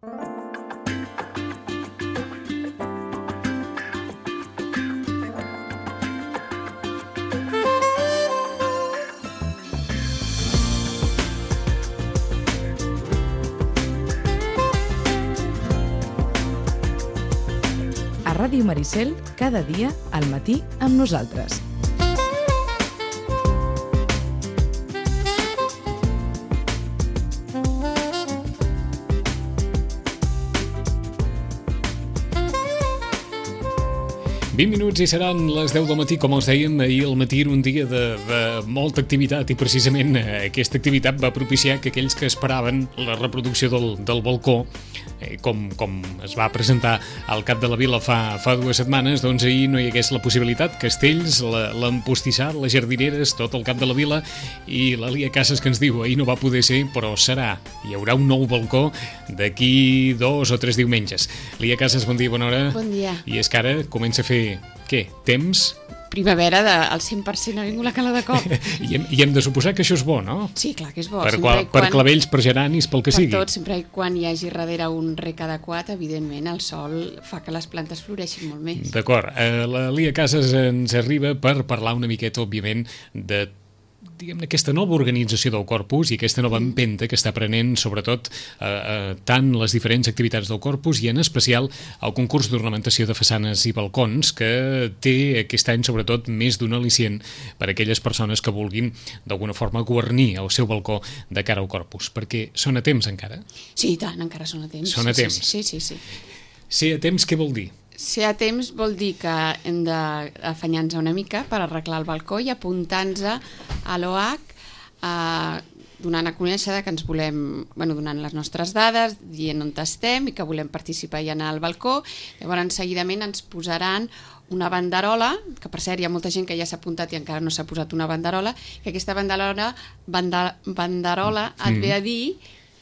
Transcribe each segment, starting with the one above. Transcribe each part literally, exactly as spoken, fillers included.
A Ràdio Maricel, cada dia, al matí, amb nosaltres. vint minuts i seran les deu del matí, com els dèiem, ahir al matí era un dia de, de molta activitat i precisament aquesta activitat va propiciar que aquells que esperaven la reproducció del, del balcó, eh, com, com es va presentar al Cap de la Vila fa, fa dues setmanes, doncs ahir no hi hagués la possibilitat. Castells, l'empostissat, les jardineres, tot el Cap de la Vila, i la Lia Casas que ens diu ahir no va poder ser, però serà. Hi haurà un nou balcó d'aquí dos o tres diumenges. Lia Casas, bon dia, bona hora. Bon dia. I és que ara comença a fer què? Temps? Primavera de, al cent per cent ha vingut la calor de cop. I, hem, I hem de suposar que això és bo, no? Sí, clar que és bo. Per, qual, per quan, clavells, per geranis, pel que per sigui. Per tot, sempre i quan hi hagi darrere un rec adequat, evidentment el sol fa que les plantes floreixin molt més. D'acord. Eh, la Lia Casas ens arriba per parlar una miqueta, òbviament, de diguem-ne, aquesta nova organització del Corpus i aquesta nova empenta que està prenent sobretot eh, eh, tant les diferents activitats del Corpus i en especial el concurs d'ornamentació de façanes i balcons, que té aquest any sobretot més d'un al·licient per a aquelles persones que vulguin d'alguna forma guarnir el seu balcó de cara al Corpus, perquè són a temps encara? Sí, i tant, encara són a temps. Són a temps. Sí, sí, sí. Ser a temps què vol dir? Ser a temps vol dir que hem d'afanyar-nos una mica per arreglar el balcó i apuntar-nos a l'O H, eh, donant a conèixer que ens volem, bueno, donant les nostres dades, dient on estem i que volem participar i anar al balcó. Llavors, seguidament ens posaran una banderola, que per cert hi ha molta gent que ja s'ha apuntat i encara no s'ha posat una banderola, que aquesta banderola, banda, banderola et ve a dir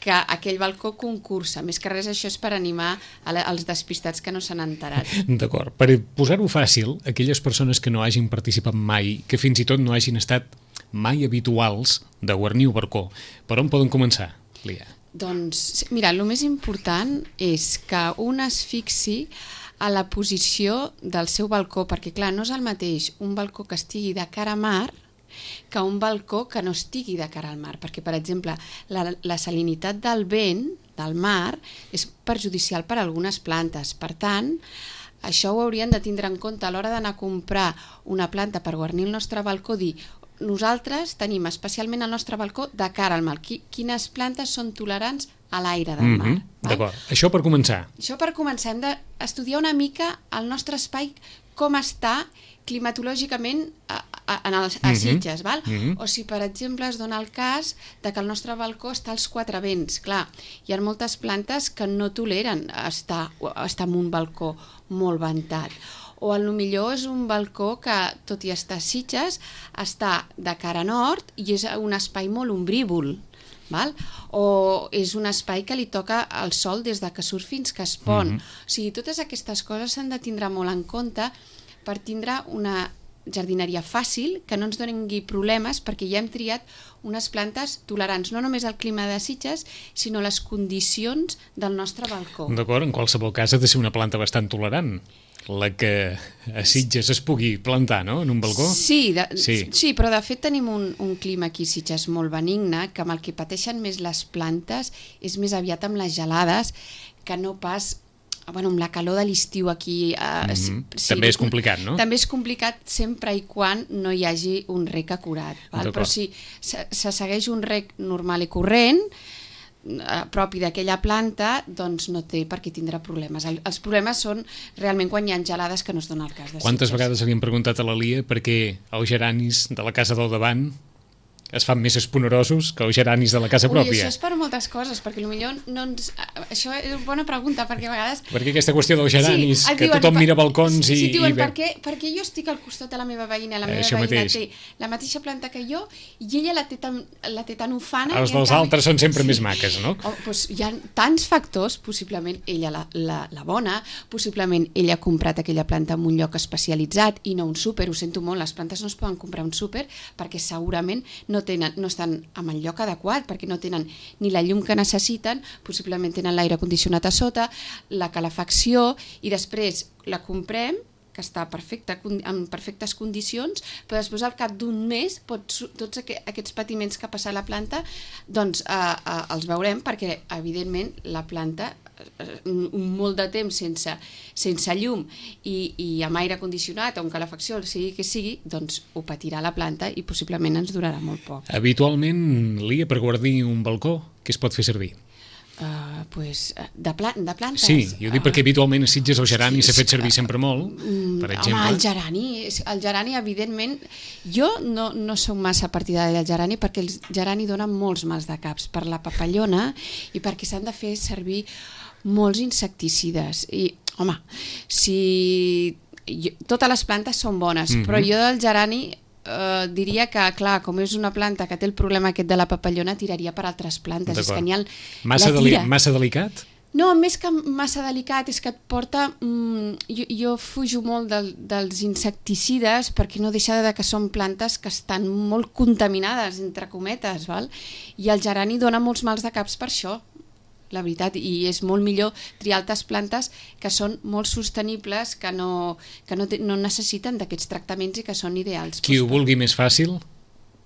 que aquell balcó concursa. Més que res, això és per animar els despistats que no s'han enterat. D'acord. Per posar-ho fàcil, aquelles persones que no hagin participat mai, que fins i tot no hagin estat mai habituals de guarnir un balcó, per on poden començar, Lia? Doncs, mira, el més important és que un es fixi a la posició del seu balcó, perquè clar, no és el mateix un balcó que estigui de cara a mar que un balcó que no estigui de cara al mar, perquè, per exemple, la, la salinitat del vent, del mar, és perjudicial per a algunes plantes. Per tant, això ho haurien de tindre en compte a l'hora d'anar a comprar una planta per guarnir el nostre balcó, dir, nosaltres tenim especialment el nostre balcó de cara al mar. Quines plantes són tolerants a l'aire del mar? Mm-hmm. D'acord. Això per començar. Això per començar. Hem d'estudiar una mica el nostre espai, com està climatològicament a, a, a, a Sitges, val? Mm-hmm. O si, per exemple, es dona el cas de que el nostre balcó està als quatre vents. Clar, hi ha moltes plantes que no toleren estar, estar en un balcó molt ventat. O potser és un balcó que, tot i estar a Sitges, està de cara nord i és un espai molt ombrívol. Val? O és un espai que li toca el sol des de que surt fins que es pon. Mm-hmm. O sigui, totes aquestes coses s'han de tindre molt en compte per tindre una jardineria fàcil, que no ens doni problemes, perquè ja hem triat unes plantes tolerants, no només al clima de Sitges, sinó les condicions del nostre balcó. D'acord, en qualsevol cas ha de ser una planta bastant tolerant, la que a Sitges es pugui plantar, no?, en un balcó? Sí, de, sí. sí, però de fet tenim un, un clima aquí a Sitges molt benigne, que amb el que pateixen més les plantes és més aviat amb les gelades, que no pas bueno, amb la calor de l'estiu aquí. Eh, mm-hmm. sí, també és complicat, no? També és complicat sempre i quan no hi hagi un rec acurat. Val? Però si se, se segueix un rec normal i corrent, eh, propi d'aquella planta, doncs no té per què tindrà problemes. El, els problemes són realment quan hi ha gelades, que no es dona el cas de Quantes Sitges. vegades li hem preguntat a la Lia perquè els geranis de la casa del davant es fan més esponerosos que els geranis de la casa Ui, pròpia? Això és per moltes coses, perquè potser no ens... Això és una bona pregunta, perquè a vegades... Perquè aquesta qüestió dels geranis, sí, que diuen, tothom mira balcons sí, i... Sí, diuen, i... per, què, perquè jo estic al costat de la meva veïna, la meva això veïna mateix. té la mateixa planta que jo, i ella la té tan, la té tan ufana... Els i dels canvi... altres són sempre sí. més maques, no? Oh, doncs hi ha tants factors, possiblement ella la, la, la bona, possiblement ella ha comprat aquella planta en un lloc especialitzat i no un súper, ho sento molt, les plantes no es poden comprar un súper perquè segurament no no, tenen, no estan en el lloc adequat, perquè no tenen ni la llum que necessiten, possiblement tenen l'aire condicionat a sota, la calefacció, i després la comprem, que està perfecta, en perfectes condicions, però després al cap d'un mes pots, tots aquests patiments que ha passat la planta doncs eh, eh, els veurem, perquè evidentment la planta un molt de temps sense, sense llum i, i amb aire condicionat o amb calefacció, o sigui que sigui, doncs ho patirà la planta i possiblement ens durarà molt poc. Habitualment, Lia, per guardir un balcó, què es pot fer servir? Uh, pues, de, pla de plantes. Sí, jo dic perquè habitualment a Sitges el gerani s'ha fet servir sempre molt, per exemple. Home, el gerani, el gerani evidentment, jo no, no soc massa partidària del gerani perquè el gerani dona molts mals de caps per la papallona i perquè s'han de fer servir molts insecticides i, home, si jo, totes les plantes són bones, mm-hmm. però jo del gerani Uh, diria que, clar, com és una planta que té el problema aquest de la papallona, tiraria per altres plantes. És que n'hi ha massa, deli massa delicat? No, més que massa delicat, és que et porta... Mm, jo, jo fujo molt del, dels insecticides perquè no deixa de que són plantes que estan molt contaminades, entre cometes, val? I el gerani dona molts mals de caps per això, la veritat, i és molt millor triar altres plantes que són molt sostenibles, que no, que no, te, no necessiten d'aquests tractaments i que són ideals. Qui ho vulgui més fàcil,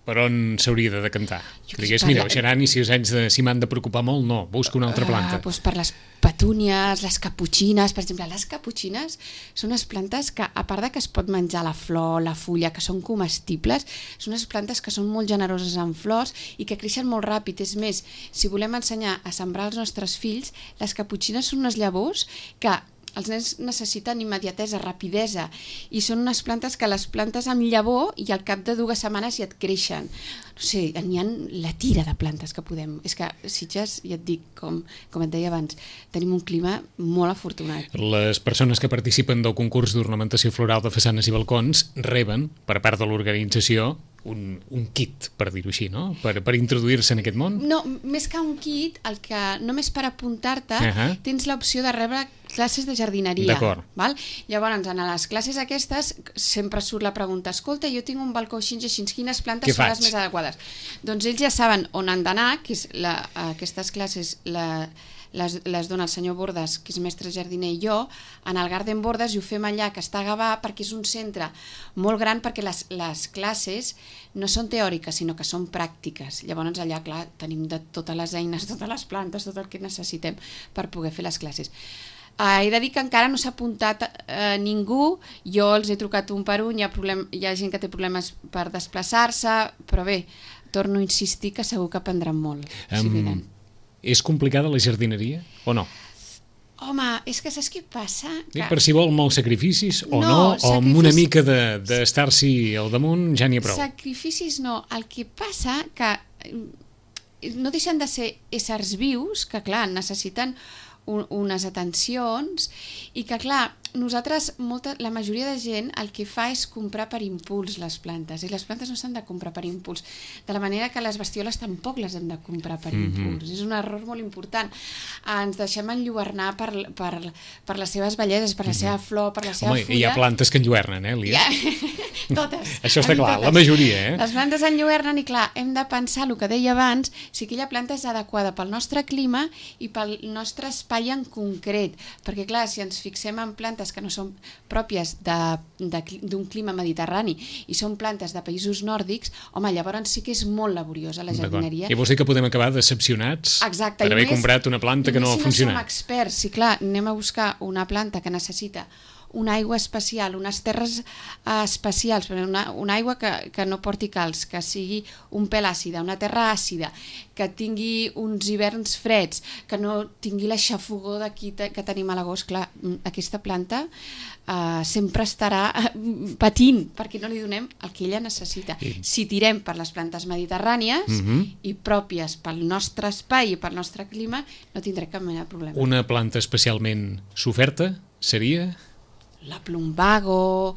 per on s'hauria de decantar? Digués, mira, el gerani, si, de, si m'han de preocupar molt, no, busca una altra planta. Uh, doncs per les petúnies, les caputxines, per exemple, les caputxines són unes plantes que, a part de que es pot menjar la flor, la fulla, que són comestibles, són unes plantes que són molt generoses en flors i que creixen molt ràpid. És més, si volem ensenyar a sembrar els nostres fills, les caputxines són unes llavors que els nens necessiten immediatesa, rapidesa, i són unes plantes que les plantes amb llavor i al cap de dues setmanes ja et creixen. No sé, n'hi ha la tira de plantes que podem... És que Sitges, ja et dic, com, com et deia abans, tenim un clima molt afortunat. Les persones que participen del concurs d'ornamentació floral de façanes i balcons reben, per part de l'organització, un, un kit, per dir-ho així, no? Per, per introduir-se en aquest món? No, més que un kit, el que només per apuntar-te uh -huh. tens l'opció de rebre classes de jardineria. Val? Llavors, en les classes aquestes sempre surt la pregunta, escolta, jo tinc un balcó així i així, quines plantes són les més adequades? Doncs ells ja saben on han d'anar, que és la, aquestes classes la, les, les dona el senyor Bordes, que és mestre jardiner, i jo, en el Garden Bordes, i ho fem allà, que està a Gavà, perquè és un centre molt gran, perquè les, les classes no són teòriques, sinó que són pràctiques. Llavors allà, clar, tenim de totes les eines, totes les plantes, tot el que necessitem per poder fer les classes. Uh, he de dir que encara no s'ha apuntat uh, ningú, jo els he trucat un per un, hi ha, problem, hi ha gent que té problemes per desplaçar-se, però bé, torno a insistir que segur que aprendran molt. Um, si és complicada la jardineria o no? Home, és que saps què passa? Que... Per si vol molts sacrificis o no, no o amb una mica d'estar-s'hi al damunt ja n'hi ha prou. Sacrificis no, el que passa que no deixen de ser éssers vius, que clar, necessiten un, unes atencions i que clar, nosaltres, molta, la majoria de gent el que fa és comprar per impuls les plantes, i les plantes no s'han de comprar per impuls, de la manera que les bestioles tampoc les hem de comprar per mm-hmm. impuls. És un error molt important. Ens deixem enlluernar per, per, per les seves belleses, per la mm-hmm. seva flor, per la seva Home, fulla. Hi ha plantes que enlluernen, eh, Lia? Ja. Totes. Això està clar, totes. La majoria, eh? Les plantes enlluernen i clar, hem de pensar el que deia abans, si aquella planta és adequada pel nostre clima i pel nostre espai en concret, perquè clar, si ens fixem en plantes que no són pròpies d'un clima mediterrani i són plantes de països nòrdics, home, llavors sí que és molt laboriosa la jardineria. I vols dir que podem acabar decepcionats Exacte, per haver més, comprat una planta que no ha si funcionat. No som experts, sí, clar, anem a buscar una planta que necessita una aigua especial, unes terres uh, especials, una, una aigua que, que no porti calç, que sigui un pèl àcida, una terra àcida, que tingui uns hiverns freds, que no tingui la xafogor d'aquí que tenim a l'agost. Clar, aquesta planta uh, sempre estarà patint perquè no li donem el que ella necessita. Sí. Si tirem per les plantes mediterrànies mm-hmm. i pròpies pel nostre espai i pel nostre clima, no tindrem cap mena de problema. Una planta especialment soferta seria... La plumbago,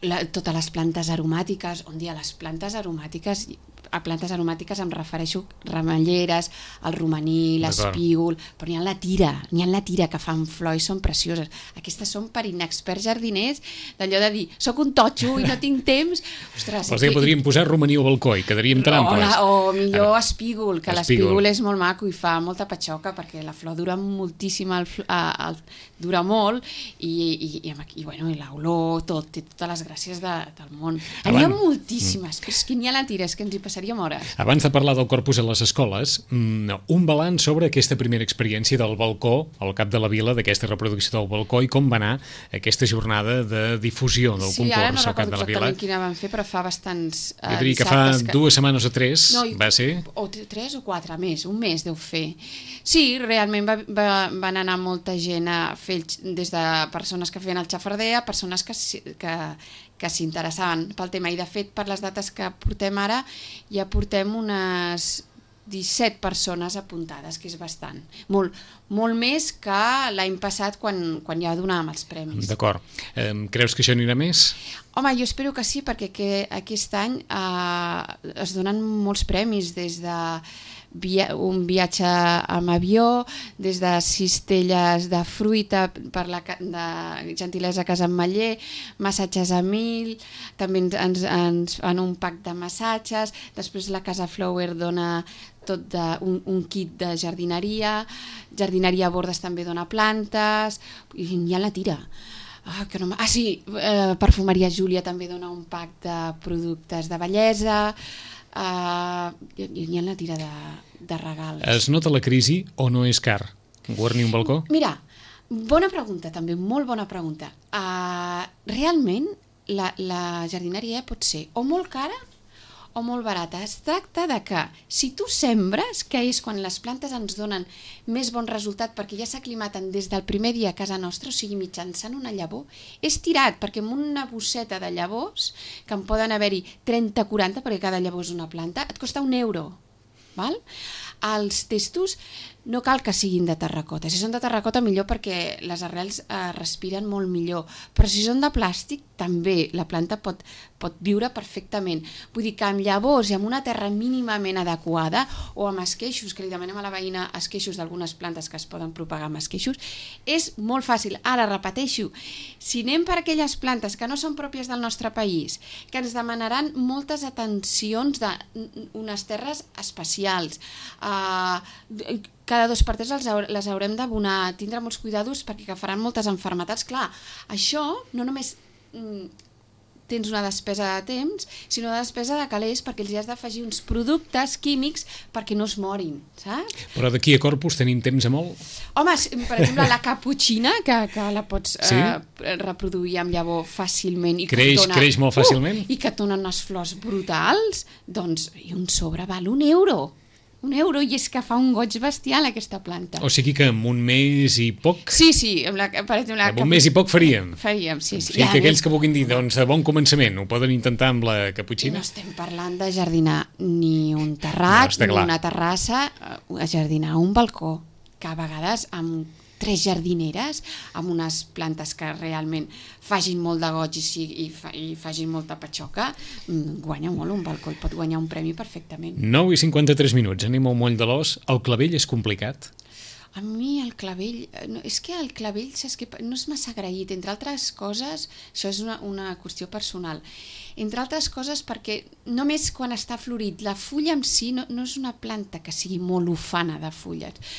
la, totes les plantes aromàtiques, on dia les plantes aromàtiques a plantes aromàtiques em refereixo ramelleres, el romaní, l'espígol, però n'hi ha la tira, n'hi ha la tira que fan flor i són precioses. Aquestes són per inexperts jardiners, d'allò de dir, soc un totxo i no tinc temps. Ostres, vols dir que podríem posar romaní al balcó i quedaríem trampes. O millor espígol, que l'espígol és molt maco i fa molta patxoca perquè la flor dura moltíssim, el, el, dura molt i, i, i, i, bueno, i l'olor, tot, té totes les gràcies de, del món. N'hi ha moltíssimes, però és que n'hi ha la tira, és que ens hi passaríem hores. Abans de parlar del corpus a les escoles, un balanç sobre aquesta primera experiència del balcó al cap de la vila, d'aquesta reproducció del balcó, i com va anar aquesta jornada de difusió del sí, concurs no al cap de la vila. Sí, ara no recordo exactament quina van fer, però fa bastants uh, jo diria que fa que... dues setmanes o tres, no, va ser? O tres o quatre, més, un mes deu fer. Sí, realment va, va, van anar molta gent a fer, des de persones que feien el xafarder a persones que, que, que s'interessaven pel tema, i de fet per les dates que portem ara ja portem unes disset persones apuntades, que és bastant, molt, molt més que l'any passat quan, quan ja donàvem els premis. D'acord. Eh, creus que això anirà més? Home, jo espero que sí, perquè que aquest any eh, es donen molts premis, des de via un viatge amb avió, des de cistelles de fruita per la de gentilesa Casa Ametller, massatges a mil, també ens, ens fan un pack de massatges, després la Casa Flower dona tot de, un, un kit de jardineria, jardineria a Bordes també dona plantes, i n'hi ha la tira. Ah, que no ah sí, eh, Perfumeria Júlia també dona un pack de productes de bellesa, uh, i, i n'hi ha la tira de, de regals. Es nota la crisi o no és car guarnir un balcó? Mira, bona pregunta també, molt bona pregunta. Uh, realment la, la jardineria pot ser o molt cara o molt barata. Es tracta de que si tu sembres, que és quan les plantes ens donen més bon resultat perquè ja s'aclimaten des del primer dia a casa nostra, o sigui mitjançant una llavor, és tirat, perquè amb una bosseta de llavors, que en poden haver-hi trenta o quaranta, perquè cada llavor és una planta, et costa un euro. Val? Els testos no cal que siguin de terracota. Si són de terracota millor, perquè les arrels eh, respiren molt millor, però si són de plàstic també la planta pot, pot viure perfectament. Vull dir que amb llavors i amb una terra mínimament adequada, o amb esqueixos, que li demanem a la veïna esqueixos d'algunes plantes que es poden propagar amb esqueixos, és molt fàcil. Ara repeteixo, si anem per aquelles plantes que no són pròpies del nostre país, que ens demanaran moltes atencions d'unes terres especials, eh, cada dos per tres les haurem d'abonar, tindre molts cuidados perquè agafaran moltes malalties. Clar, això no només mm, tens una despesa de temps, sinó una despesa de calés, perquè els has d'afegir uns productes químics perquè no es morin, saps? Però d'aquí a Corpus tenim temps a molt? Home, per exemple, la caputxina, que, que la pots sí? eh, reproduir amb llavor fàcilment. I creix, que dona, creix molt fàcilment? Uh, I que et donen unes flors brutals, doncs, i un sobre val un euro. Un euro, i és que fa un goig bestial aquesta planta. O sigui que amb un mes i poc... Sí, sí. Amb, la, per exemple, la amb un mes i poc faríem. Faríem, sí. sí. O sigui que aquells que vulguin dir, doncs, de bon començament, ho poden intentar amb la caputxina? No estem parlant de jardinar ni un terrat, no, ni clar. Una terrassa, a jardinar un balcó, que a vegades amb tres jardineres, amb unes plantes que realment facin molt de goig i, i, fa, i facin molta patxoca, guanya molt un balcó, pot guanyar un premi perfectament. nou i cinquanta-tres minuts, anem al moll de l'os. El clavell és complicat? A mi el clavell, no, és que el clavell saps que no és massa agraït, entre altres coses, això és una, una qüestió personal, entre altres coses perquè només quan està florit, la fulla en si no, no és una planta que sigui molt ufana de fulles,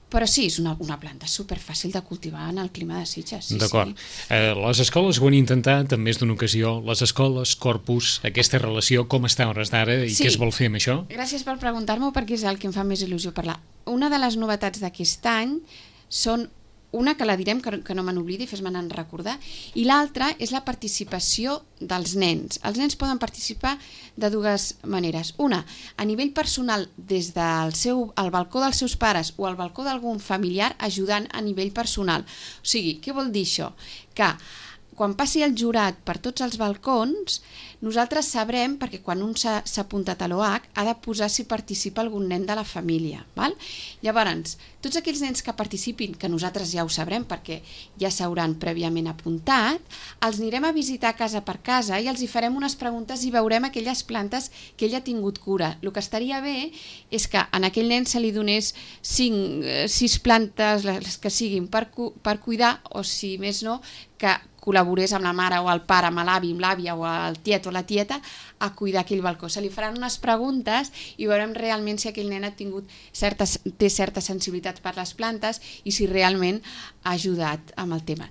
però sí, és una, una planta superfàcil de cultivar en el clima de Sitges. Sí, d'acord. Sí. Eh, les escoles ho han intentat en més d'una ocasió, les escoles, Corpus, aquesta relació, com està a hores d'ara i sí. Què es vol fer amb això? Gràcies per preguntar-m'ho, perquè és el que em fa més il·lusió parlar. Una de les novetats d'aquest any són una, que la direm, que, que no me n'oblidi, fes-me'n recordar, i l'altra és la participació dels nens. Els nens poden participar de dues maneres. Una, a nivell personal, des del seu, al balcó dels seus pares o al balcó d'algun familiar, ajudant a nivell personal. O sigui, què vol dir això? Que quan passi el jurat per tots els balcons, nosaltres sabrem, perquè quan un s'ha apuntat a l'O H ha de posar si participa algun nen de la família. Val? Llavors, tots aquells nens que participin, que nosaltres ja ho sabrem perquè ja s'hauran prèviament apuntat, els anirem a visitar casa per casa i els hi farem unes preguntes i veurem aquelles plantes que ell ha tingut cura. El que estaria bé és que a aquell nen se li donés cinc, sis plantes, les que siguin, per, per cuidar, o si més no, que col·laborés amb la mare o el pare, amb l'avi, amb l'àvia o el tiet o la tieta a cuidar aquell balcó. Se li faran unes preguntes i veurem realment si aquell nen ha tingut certes, té certa sensibilitat per les plantes i si realment ha ajudat amb el tema.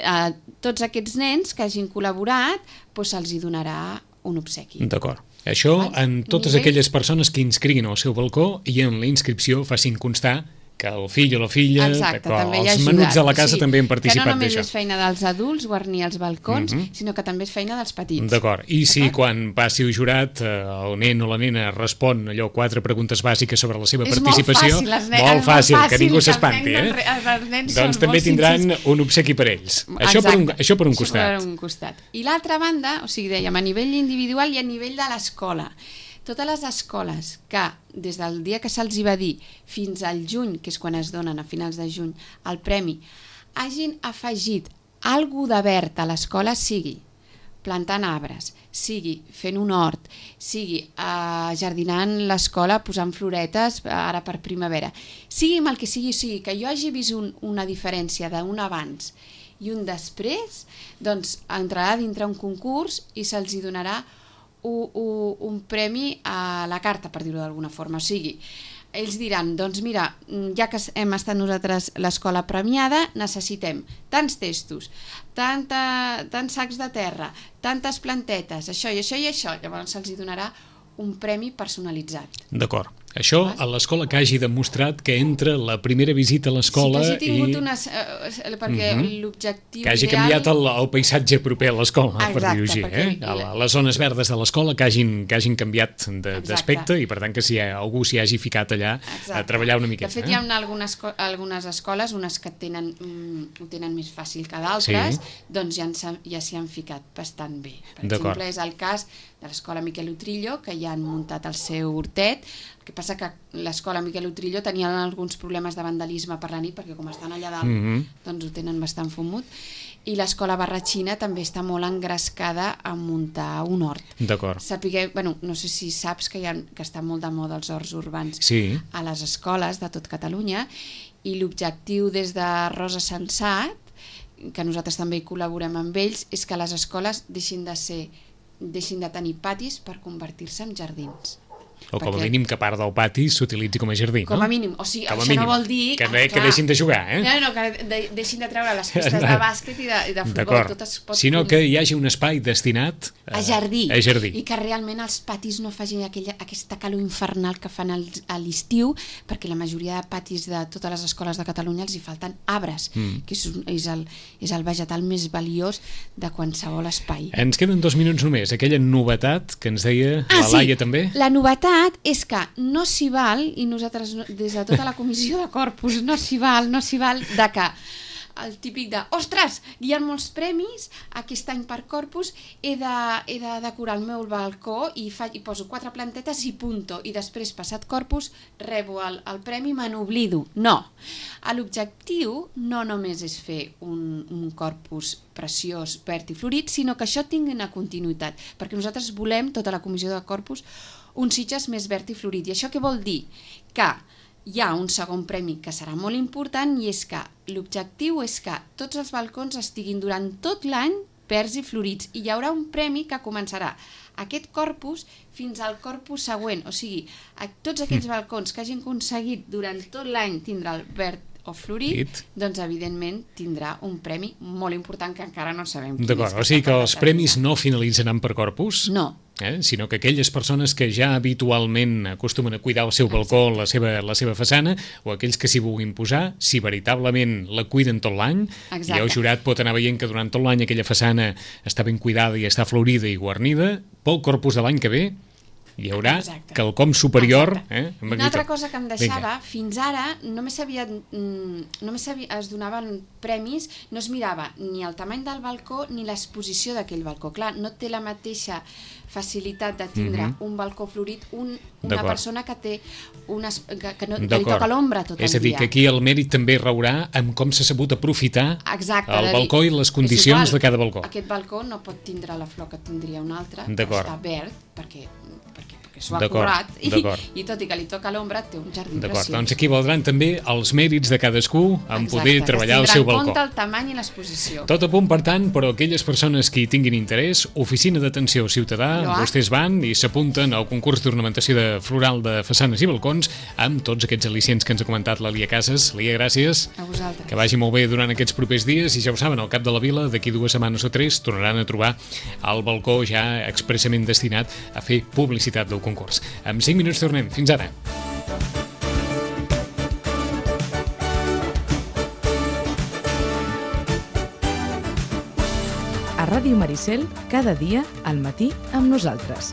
A tots aquests nens que hagin col·laborat, doncs se'ls hi donarà un obsequi. D'acord. Això en totes aquelles persones que inscriguin al seu balcó i en la inscripció facin constar que el fill o la filla, exacte, també els menuts de la casa, o sigui, també han participat d'això. Que no només és feina dels adults guarnir els balcons, uh -huh. sinó que també és feina dels petits. D'acord. I si quan passi el jurat el nen o la nena respon allò quatre preguntes bàsiques sobre la seva és participació, molt fàcil, les nenes, molt fàcil, molt fàcil que ningú s'espanti, eh? Els, els nens doncs també tindran sincers. Un obsequi per ells. Això per, un, això per un costat. Per un costat. I l'altra banda, o sigui, dèiem, a nivell individual i a nivell de l'escola. Totes les escoles que, des del dia que se'ls va dir fins al juny, que és quan es donen a finals de juny, el premi, hagin afegit alguna de verd a l'escola, sigui plantant arbres, sigui fent un hort, sigui eh, jardinant l'escola, posant floretes ara per primavera, sigui amb el que sigui, sigui que jo hagi vist un, una diferència d'un abans i un després, doncs entrarà dintre un concurs i se'ls hi donarà Un, un, un premi a la carta, per dir-ho d'alguna forma. O sigui, ells diran, doncs mira, ja que hem estat nosaltres l'escola premiada, necessitem tants testos, tanta, tants sacs de terra, tantes plantetes, això i això i això. Llavors se'ls donarà un premi personalitzat. D'acord. Això a l'escola que hagi demostrat que entra la primera visita a l'escola sí, que hagi tingut i... unes... Eh, perquè uh -huh. l'objectiu que hagi ideal... canviat el, el paisatge proper a l'escola, exacte, per dir-ho així. Eh? A les zones verdes de l'escola que hagin, que hagin canviat d'aspecte i per tant que si algú s'hi hagi ficat allà exacte. A treballar una miqueta. De fet, eh? hi ha algunes, algunes escoles, unes que tenen, mm, ho tenen més fàcil que d'altres, sí. doncs ja, ja s'hi han ficat bastant bé. Per exemple, és el cas de l'escola Miquel Utrillo, que ja han muntat el seu hortet. El que passa que l'escola Miquel Utrillo tenia alguns problemes de vandalisme per la nit, perquè com estan allà dalt, mm -hmm. doncs ho tenen bastant fumut. I l'escola Barratxina també està molt engrescada a muntar un hort. D'acord. Sapigueu, bueno, no sé si saps que, hi ha, que està molt de moda els horts urbans sí. a les escoles de tot Catalunya, i l'objectiu des de Rosa Sensat, que nosaltres també hi col·laborem amb ells, és que les escoles deixin de ser deixin de tenir patis per convertir-se en jardins. O com a mínim que part del pati s'utilitzi com a jardí, no? Com a mínim, o sigui, com això mínim. No vol dir... Que, ah, que deixin de jugar, eh? No, no, que de, deixin de treure les pistes de bàsquet i de, i de futbol. Tot es pot... Sinó que hi hagi un espai destinat a, a, jardí, a jardí. I que realment els patis no facin aquella, aquesta calor infernal que fan al, a l'estiu, perquè la majoria de patis de totes les escoles de Catalunya els hi falten arbres, mm. que és, és, el, és el vegetal més valiós de qualsevol espai. Ens queden dos minuts només. Aquella novetat que ens deia ah, la Laia sí. també. La novetat és que no s'hi val, i nosaltres des de tota la comissió de Corpus no s'hi val, no s'hi val de que el típic de, ostres, hi ha molts premis aquest any per Corpus, he de, he de decorar el meu balcó i, fa, i poso quatre plantetes i punto, i després, passat Corpus, rebo el, el premi i me n'oblido. No. L'objectiu no només és fer un, un Corpus preciós, verd i florit, sinó que això tingui una continuïtat, perquè nosaltres volem, tota la comissió de Corpus, un Sitges més verd i florit. I això què vol dir? Que hi ha un segon premi que serà molt important, i és que l'objectiu és que tots els balcons estiguin durant tot l'any verds i florits, i hi haurà un premi que començarà aquest Corpus fins al Corpus següent. O sigui, a tots aquells balcons que hagin aconseguit durant tot l'any tindrà el verd o florit, doncs evidentment tindrà un premi molt important que encara no sabem quin és. D'acord, o sigui que els premis no finalitzaran per Corpus? No. Eh? Sinó que aquelles persones que ja habitualment acostumen a cuidar el seu balcó, la seva, la seva façana, o aquells que s'hi vulguin posar, si veritablement la cuiden tot l'any, i el jurat pot anar veient que durant tot l'any aquella façana està ben cuidada i està florida i guarnida, pel Corpus de l'any que ve hi haurà Exacte. quelcom superior. Eh, Una altra cosa que em deixava, Vinga. fins ara només, havia, només havia, es donaven premis, no es mirava ni el tamany del balcó ni l'exposició d'aquell balcó. Clar, no té la mateixa facilitat de tindre mm -hmm. un balcó florit un, una persona que té unes, que, que, no, que li toca l'ombra tot el dia. És a dir, que aquí el mèrit també raurà amb com s'ha sabut aprofitar Exacte, el balcó i les condicions de cada balcó. Aquest balcó no pot tindre la flor que tindria un altre, que està verd, perquè, perquè, perquè s'ho ha currat, i, i tot i que li toca l'ombra, té un jardí preciós. Doncs aquí valdran també els mèrits de cadascú en poder treballar el seu balcó. Exacte, que es tindrà en compte el tamany i l'exposició. Tot a punt, per tant, però aquelles persones que hi tinguin interès, Oficina d'Atenció Ciutadà, Loa. Vostès van i s'apunten al concurs d'ornamentació de floral de façanes i balcons amb tots aquests al·licients que ens ha comentat la Lia Casas. Lia, gràcies. A vosaltres. Que vagi molt bé durant aquests propers dies i ja ho saben, al cap de la vila, d'aquí dues setmanes o tres, tornaran a trobar el balcó ja expressament destinat a fer publicitat del concurs. En cinc minuts tornem. Fins ara. A Ràdio Maricel, cada dia al matí amb nosaltres.